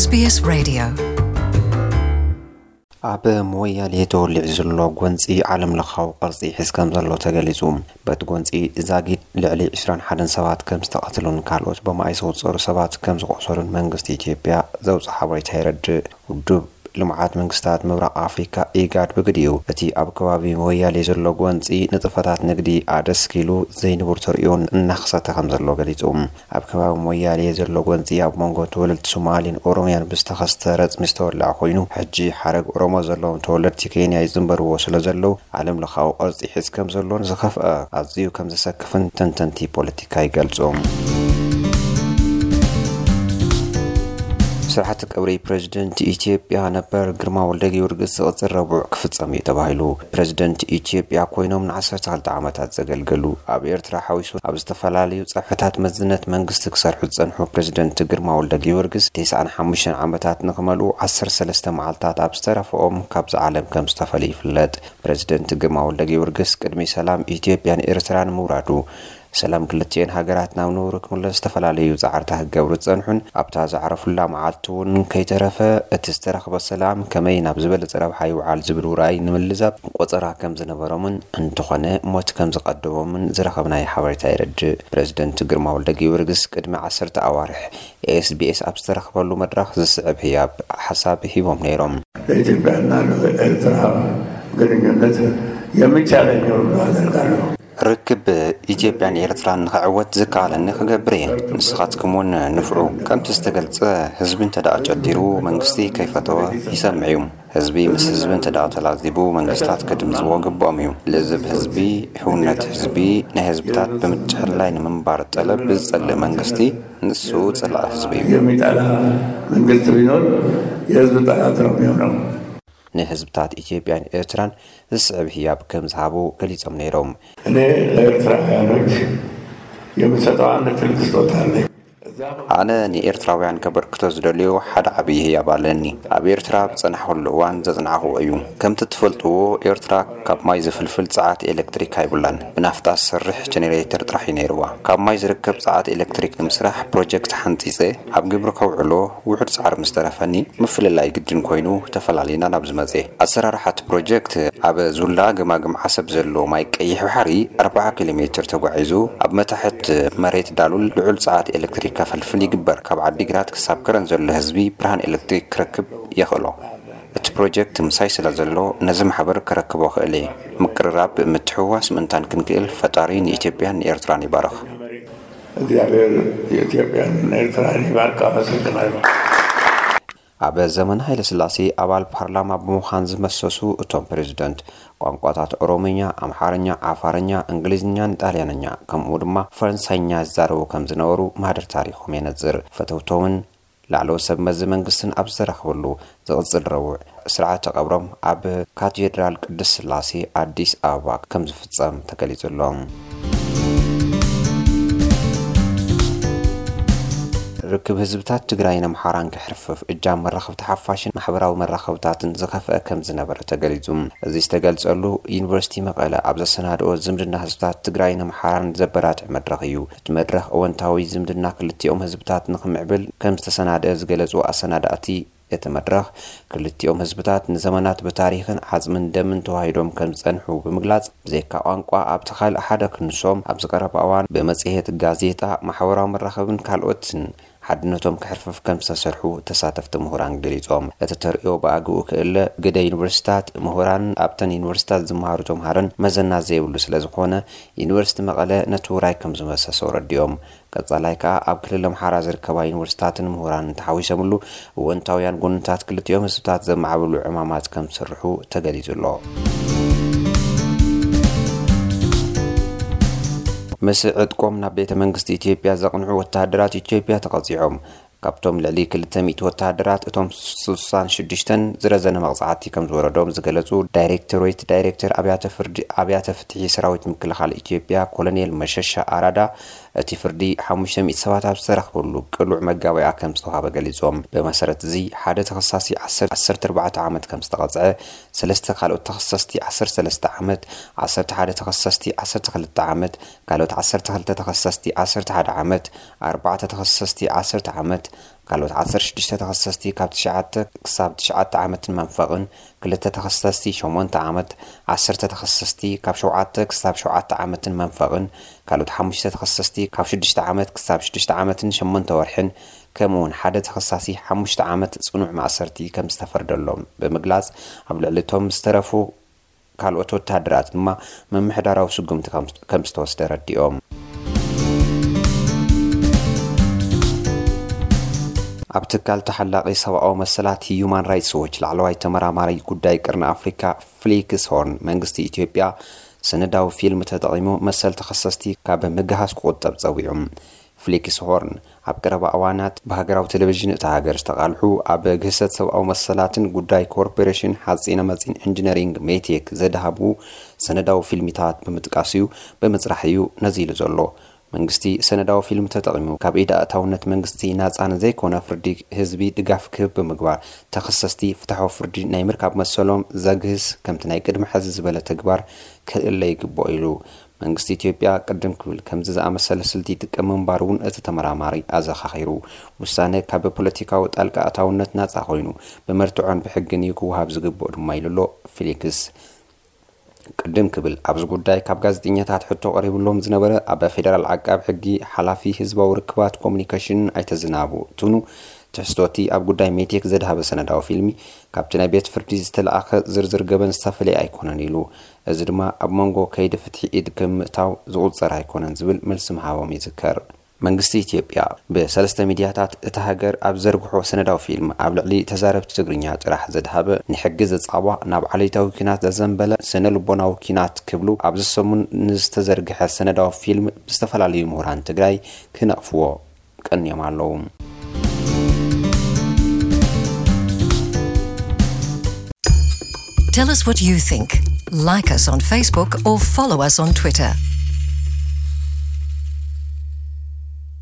SBS Radio ኣብ ሞያሌ ተወሊዑ ዘሎ ጎንፂ ዓለም ለኻዊ ቅርፂ ሒዝ ከም ዘሎ ተገሊፁ። በቲ ጎንፂ ዛጊድ ልዕሊ ዕስራን ሓደን ሰባት ከም ዝተቐትሉን ካልኦት ብመኣይ ዝቑፀሩ ሰባት ከም ዝቆሰሉን መንግስቲ ኢትዮጵያ ዘውፅኦ ሓበሬታ የረድእ። ውድብ ልምዓት መንግስታት ምብራቕ ኣፍሪካ ኢጋድ ብግዲኡ እቲ ኣብ ከባቢ ሞያሌ ዘሎ ጎንፂ ንጥፈታት ንግዲ ኣደስኪሉ ዘይንቡር ተርእዮን እናኸሰተ ከም ዘሎ ገሊፁ። ኣብ ከባቢ ሞያሌ ዘሎ ጎንፂ ኣብ መንጎ ተወለድቲ ሶማሌን ኦሮምያን ብዝተኸስተ ረፅሚ ዝተወለዐ ኮይኑ፣ ሕጂ ሓረግ ኦሮሞ ዘለዎም ተወለድቲ ኬንያ ይዝንበርዎ ስለ ዘለዉ፣ ዓለም ለኻዊ ቅርፂ ሒዝ ከም ዘሎን ዝኸፍአ ኣዝዩ ከም ዘሰክፍን ተንተንቲ ፖለቲካ ይገልፁ። ስርዓተ ቀብሪ ፕሬዝደንት ኢትዮጵያ ነበር ግርማ ወልደ ጊዮርጊስ ዝቕፅል ረቡዕ ክፍፀም እዩ ተባሂሉ። ፕሬዝደንት ኢትዮጵያ ኮይኖም ንዓሰርተ ክልተ ዓመታት ዘገልገሉ፣ ኣብ ኤርትራ ሓዊሱ ኣብ ዝተፈላለዩ ጸፍሕታት መዝነት መንግስቲ ክሰርሑ ዝጸንሑ ፕሬዝደንት ግርማ ወልደ ጊዮርጊስ፣ ተስዓን ሓሙሽተን ዓመታት ንኽመልኡ ዓሰርተ ሰለስተ መዓልታት ኣብ ዝተረፈኦም ካብዚ ዓለም ከም ዝተፈልዩ ይፍለጥ። ፕሬዝደንት ግርማ ወልደ ጊዮርጊስ ቅድሚ ሰላም ኢትዮጵያን ኤርትራን ምውራዱ፣ ሰላም ክልቲኤን ሃገራት ናብ ንቡሩ ክምለስ ዝተፈላለዩ ጻዕርታት ክገብሩ ዝጸንሑን ኣብታ ዘዕረፉላ መዓልቲ እውን ከይተረፈ እቲ ዝተረኽበ ሰላም ከመይ ናብ ዝበለጸ ረብሓ ይውዓል ዝብል ውራይ ንምልዛብ ቆጸራ ከም ዝነበሮምን እንተኾነ ሞት ከም ዝቐደሞምን ዝረኸብናዮ ሓበሬታ የረድእ። ፕሬዝደንት ግርማ ወልደ ጊዮርጊስ ቅድሚ ዓሰርተ ኣዋርሕ SBS ኣብ ዝተረኽበሉ መድረኽ ዝስዕብ ህያብ ሓሳብ ሂቦም ነይሮም። በኢትዮጵያና በኤርትራ ግንኙነት የሚቻለኝ ሁሉ አደርጋለሁ። ርክብ ኢትዮጵያን ኤርትራን ንኽዕወት ዝከኣለኒ ክገብር እየ። ንስኻትኩም እውን ንፍዑ። ከምቲ ዝተገልጸ፣ ህዝቢ እንተ ደኣ ጨዲሩ፣ መንግስቲ ከይፈተወ ይሰምዕ እዩ። ህዝቢ ምስ ህዝቢ እንተ ደኣ ተላዚቡ፣ መንግስታት ክድምጽዎ ግብኦም እዩ። ልዝብ ህዝቢ፣ ህውነት ህዝቢ፣ ናይ ህዝብታት ብምትሕልላይ ንምንባር ጠለብ ዝጸልእ መንግስቲ፣ ንሱ ጸላኢ ህዝቢ እዩ። የሚጠላ መንግስት ቢኖር የህዝብ ጠላት ነው የሚሆነው። ንህዝብታት ኢትዮጵያን ኤርትራን ዝስዕብ ህያብ ከም ዝሃቡ ገሊጾም ነይሮም። እኔ ለኤርትራውያኖች የምሰጠው አንድ ትልቅ ስጦታ አለኝ። ኣነ ንኤርትራውያን ከበርክቶ ዝደልዮ ሓደ ዓብዪ ህያብ ኣለኒ። ኣብ ኤርትራ ኣብ ዝጸናሕኩሉ እዋን ዘጽናዕኽዎ እዩ። ከምቲ ትፈልጥዎ፣ ኤርትራ ካብ ማይ ዝፍልፍል ጸዓት ኤሌክትሪክ ኣይብላን። ብናፍጣ ዝሰርሕ ጀነሬተር ጥራሕ እዩ ነይርዋ። ካብ ማይ ዝርከብ ጸዓት ኤሌክትሪክ ንምስራሕ ፕሮጀክት ሓንጺጸ ኣብ ግብሪ ከውዕሎ ውሑድ ጻዕሪ ምስ ተረፈኒ፣ ምፍልላይ ግድን ኮይኑ፣ ተፈላሊና ናብዚ መጼ። ኣሰራርሓ እቲ ፕሮጀክት፣ ኣብ ዙላ ገማግም ዓሰብ ዘሎ ማይ ቀይሕ ባሕሪ ኣርብዓ ኪሎ ሜትር ተጓዒዙ፣ ኣብ መታሕት መሬት ዳሉል ልዑል ጸዓት ኤሌክትሪክ ከፈልፍል ይግበር። ካብ ዓዲግራት ክሳብ ከረን ዘሎ ህዝቢ ብርሃን ኤሌክትሪክ ክረክብ የኽእሎ። እቲ ፕሮጀክት ምሳይ ስለ ዘሎ፣ ነዚ ማሕበር ከረክቦ ክእል እየ። ምቅርራብ፣ ምትሕውዋስ ምእንታን ክንክእል፣ ፈጣሪ ንኢትዮጵያን ንኤርትራን ይባርኽ። እግዚኣብሔር ኢትዮጵያን ኤርትራን ይባርክ። ኣመሰግናለሁ። ኣብ ዘመነ ሃይለ ስላሴ ኣባል ፓርላማ ብምዃን ዝመሰሱ እቶም ፕሬዝደንት፣ ቋንቋታት ኦሮምኛ፣ ኣምሓርኛ፣ ዓፋርኛ፣ እንግሊዝኛን ጣልያንኛ፣ ከምኡ ድማ ፈረንሳይኛ ዝዛረቡ ከም ዝነበሩ ማህደር ታሪኾም የነጽር። ፈተውቶምን ላዕለዎት ሰብ መዚ መንግስትን ኣብ ዝተረኽብሉ ዝቕጽል ረቡዕ ስርዓተ ቀብሮም ኣብ ካቴድራል ቅድስት ስላሴ ኣዲስ ኣበባ ከም ዝፍጸም ተገሊጹ ኣሎ። ርክብ ህዝብታት ትግራይን ኣምሓራን ክሕርፍፍ እጃም መራኸብቲ ሓፋሽን ማሕበራዊ መራኸብታትን ዝኸፍአ ከም ዝነበረ ተገሊጹ። እዚ ዝተገልጸሉ ዩኒቨርሲቲ መቐለ ኣብ ዘሰናድኦ ዝምድና ህዝብታት ትግራይን ኣምሓራን ዘበራትዕ መድረኽ እዩ። እቲ መድረኽ እወንታዊ ዝምድና ክልቲኦም ህዝብታት ንኽምዕብል ከም ዝተሰናድአ ዝገለጹ ኣሰናዳእቲ እቲ መድረኽ፣ ክልቲኦም ህዝብታት ንዘመናት ብታሪኽን ዓጽምን ደምን ተዋሂዶም ከም ዝጸንሑ ብምግላጽ፣ ብዘይካ ቋንቋ ኣብቲ ካልእ ሓደ ክንሶም ኣብዚ ቀረባ እዋን ብመጽሔት፣ ጋዜጣ፣ ማሕበራዊ መራኸብን ካልኦትን ሓድነቶም ክሕርፍፍ ከም ዝተሰርሑ ተሳተፍቲ ምሁራን ገሊጾም። እቲ ተርእዮ ብኣግኡ ክእለ፣ ግደ ዩኒቨርሲታት፣ ምሁራን፣ ኣብተን ዩኒቨርሲታት ዝመሃሩ ተምሃሮን መዘና ዘይብሉ ስለ ዝኾነ፣ ዩኒቨርሲቲ መቐለ ነቲ ውራይ ከም ዝመሰሶ ረዲኦም። ቀጻላይ ከኣ ኣብ ክልል ኣምሓራ ዝርከባ ዩኒቨርሲታትን ምሁራንን ተሓዊሰምሉ እወንታውያን ጎንታት ክልቲኦም ህዝብታት ዘማዕብሉ ዕማማት ከም ዝስርሑ ተገሊጹ ኣሎ። ምስ ዕጥቆም ናብ ቤተ መንግስቲ ኢትዮጵያ ዘቕንዑ ወተሃደራት ኢትዮጵያ ተቐጺዖም። ካብቶም ልዕሊ ክልተ ሚእቲ ወተሃደራት፣ እቶም ስሳን ሽዱሽተን ዝረዘነ መቕጻዕቲ ከም ዝወረዶም ዝገለጹ ዳይሬክቶሬት ዳይሬክተር ኣብያተ ፍርዲ፣ ኣብያተ ፍትሒ ሰራዊት ምክልኻል ኢትዮጵያ ኮሎኔል መሸሻ ኣራዳ፣ እቲ ፍርዲ ሓሙሽተ ሚእቲ ሰባት ኣብ ዝተረኽበሉ ቅሉዕ መጋበያ ከም ዝተዋህበ ገሊጾም። ብመሰረት እዚ፣ ሓደ ተኸሳሲ ዓሰርተ፣ ዓሰርተ ኣርባዕተ ዓመት ከም ዝተቐጽዐ፣ ሰለስተ ካልኦት ተኸሰስቲ ዓሰርተ ሰለስተ ዓመት፣ ዓሰርተ ሓደ ተኸሰስቲ ዓሰርተ ክልተ ዓመት፣ ካልኦት ዓሰርተ ክልተ ተኸሰስቲ ዓሰርተ ሓደ ዓመት፣ ኣርባዕተ ተኸሰስቲ ዓሰርተ ዓመት፣ ካልኦት ዓሰርተ ሽዱሽተ ተኸሰስቲ ካብ ትሽዓተ ክሳብ ትሽዓተ ዓመትን መንፈቕን፣ ክልተ ተኸሰስቲ ሸሞንተ ዓመት፣ ዓሰርተ ተኸሰስቲ ካብ ሸውዓተ ክሳብ ሸውዓተ ዓመትን መንፈቕን፣ ካልኦት ሓሙሽተ ተኸሰስቲ ካብ ሽዱሽተ ዓመት ክሳብ ሽዱሽተ ዓመትን ሸሞንተ ወርሕን፣ ከምኡውን ሓደ ተኸሳሲ ሓሙሽተ ዓመት ጽኑዕ ማእሰርቲ ከም ዝተፈርደሎም ብምግላጽ፣ ኣብ ልዕሊ እቶም ዝተረፉ ካልኦት ወተሃደራት ድማ ምምሕዳራዊ ስጉምቲ ከም ዝተወስደ ረዲኦም። ኣብ ትካል ተሓላቒ ሰብኣዊ መሰላት ሂዩማን ራይትስ ዎች ላዕለዋይ ተመራማሪ ጉዳይ ቅርኒ ኣፍሪካ ፍሊክስ ሆርን፣ መንግስቲ ኢትዮጵያ ሰነዳዊ ፊልም ተጠቒሙ መሰል ተኸሰስቲ ካብ ምግሃስ ክቑጠብ ጸዊዑ። ፍሊክስ ሆርን ኣብ ቀረባ እዋናት ብሃገራዊ ቴሌቪዥን እታ ሃገር ዝተቓልሑ፣ ኣብ ግህሰት ሰብኣዊ መሰላትን ጉዳይ ኮርፖሬሽን ሓፂነ መፂን ኢንጂነሪንግ ሜቴክ ዘድሃቡ ሰነዳዊ ፊልሚታት ብምጥቃስ እዩ፣ ብምፅራሕ እዩ ነዚ ኢሉ ዘሎ። መንግስቲ ሰነዳዊ ፊልም ተጠቒሙ ካብ ኢድ ኣእታውነት መንግስቲ ናፃን ዘይኮነ ፍርዲ ህዝቢ ድጋፍ ክህብ ብምግባር፣ ተኸሰስቲ ፍትሓዊ ፍርዲ ናይ ምርካብ መሰሎም ዘግህስ ከምቲ ናይ ቅድሚ ሕዚ ዝበለ ተግባር ክእለ ይግብኦ ኢሉ። መንግስቲ ኢትዮጵያ ቅድም ክብል ከምዚ ዝኣመሰለ ስልቲ ይጥቀም ምንባሩ እውን እቲ ተመራማሪ ኣዘኻኺሩ። ውሳነ ካብ ፖለቲካዊ ጣልቃ ኣእታውነት ናፃ ኮይኑ፣ ብመርትዖን ብሕግን እዩ ክወሃብ ዝግብኦ ድማ ኢሉ ኣሎ ፊሊክስ። ቅድም ክብል ኣብዚ ጉዳይ ካብ ጋዜጠኛታት ሕቶ ቀሪብሎም ዝነበረ ኣብ ፌደራል ዓቃብ ሕጊ ሓላፊ ህዝባዊ ርክባት ኮሙኒኬሽን ኣይተ ዝናቡ ቱኑ፣ ትሕዝቶቲ ኣብ ጉዳይ ሜቴክ ዘድሃበ ሰነዳዊ ፊልሚ ካብቲ ናይ ቤት ፍርዲ ዝተለኣኸ ዝርዝር ገበን ዝተፈለየ ኣይኮነን ኢሉ። እዚ ድማ ኣብ መንጎ ከይዲ ፍትሒ ኢድ ከም ምእታው ዝቑጸር ኣይኮነን ዝብል መልሲ ምሃቦም ይዝከር። መንግስቲ ኢትዮጵያ ብሰለስተ ሚድያታት እታ ሃገር ኣብ ዘርግሖ ሰነዳዊ ፊልም ኣብ ልዕሊ ተዛረብቲ ትግርኛ ጥራሕ ዘድሃበ ንሕጊ ዘጻቧ ናብ ዓሌታዊ ኲናት ዘዘንበለ ስነ ልቦናዊ ኲናት ክብሉ ኣብዚ ሰሙን ንዝተዘርግሐ ሰነዳዊ ፊልም ብዝተፈላለዩ ምሁራን ትግራይ ክነቕፍዎ ቀንዮም ኣለዉ። Tell us what you think. Like us on Facebook or follow us on Twitter.